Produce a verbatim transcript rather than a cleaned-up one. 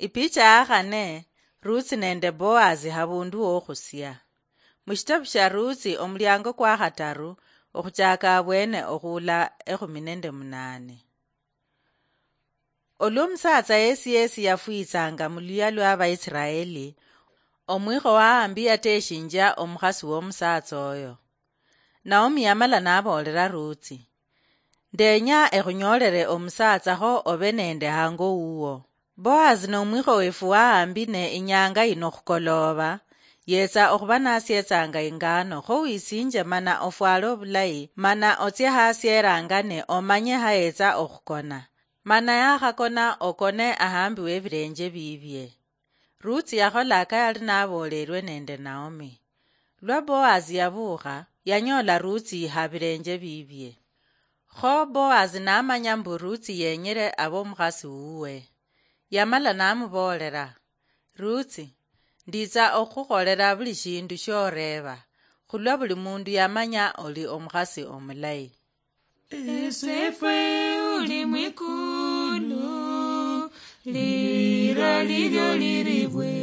Ipicha ya khane, Rutsi nende Boazi habundu wokhusia. Mushitabu shia Rutsi omuliango kwa khataru, okhuchaka abwene okhuula ekhumi nende munane. Olwa omusatsa yesi yesi yafwitsanga muluyia lwa Abaisiraeli, omwikho wa Ahambi yateshinjia omukhasi womusatsa oyo. Naomi yamala naboolera Rutsi, "Ndenya ekhunyoolere omusatsa kho obe nende hango wuwo." Boazi nomwikho wefu wa Ahambi ne inyanga yino khukolooba, yetsa okhuba nasietsanga ingano, kho wisinje mana ofwale obulayi, mana otsie hasi erangane omanye hayetsa okhukona. Mana yakhakona okone ahambi webilenje bibie. Rutsi yakhola aka yali naboolelwe nende Naomi. Lwa Boazi yabuukha, yanyoola Rutsi habilenje bibie. Kho Boazi namanya mbu Rutsi yenyele abe omukhasi wuwe. Yamala namuboolela, "Rutsi, nditsa okhukholela buli shindu shioreeba, khulwa buli mundu yamanya oli omukhasi omulayi." Esefwe uli mwikulu, lira lilyo liribwe.